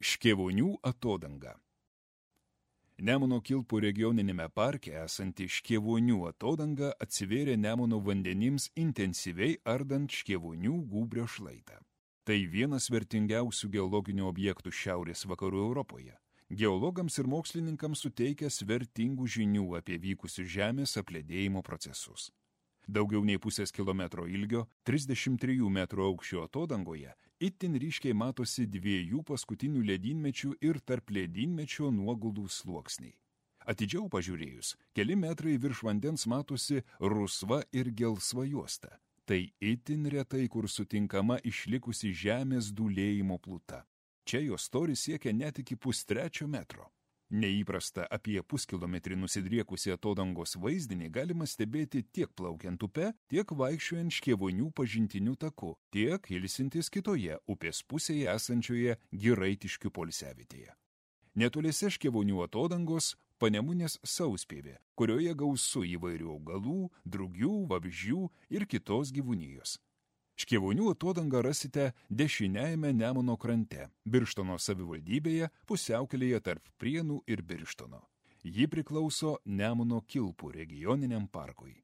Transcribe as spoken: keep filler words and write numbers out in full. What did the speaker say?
Škėvonių atodanga. Nemuno Kilpų regioninėme parke esanti Škėvonių atodanga atsivėrė Nemuno vandenims intensyviai ardant Škėvonių gūbrio šlaitą. Tai vienas vertingiausių geologinių objektų šiaurės vakarų Europoje. Geologams ir mokslininkams suteikęs vertingų žinių apie vykusius žemės apledėjimo procesus. Daugiau nei pusės kilometro ilgio, trisdešimt trijų metrų aukščio atodangoje itin ryškiai matosi dviejų paskutinių ledynmečių ir tarp ledynmečio nuoguldų sluoksniai. Atidžiau pažiūrėjus, keli metrai virš vandens matosi rusva ir gelsva juosta. Tai itin retai, kur sutinkama išlikusi žemės dūlėjimo pluta. Čia jos storis siekia net iki pustrečio metro. Neįprasta apie puskilometrį nusidriekusi atodangos vaizdinį galima stebėti tiek plaukiant upe, tiek vaikščiojant Škėvonių pažintiniu taku, tiek ilsintis kitoje upės pusėje esančioje Giraitiškių poilsiavietėje. Netoliese Škėvonių atodangos Panemunės sauspievė, kurioje gausu įvairių augalų, drugių, vabzdžių ir kitos gyvūnijos. Škėvonių atodangą rasite dešiniajame Nemuno krante, Birštono savivaldybėje, pusiaukelėje tarp Prienų ir Birštono. Ji priklauso Nemuno Kilpų regioniniam parkui.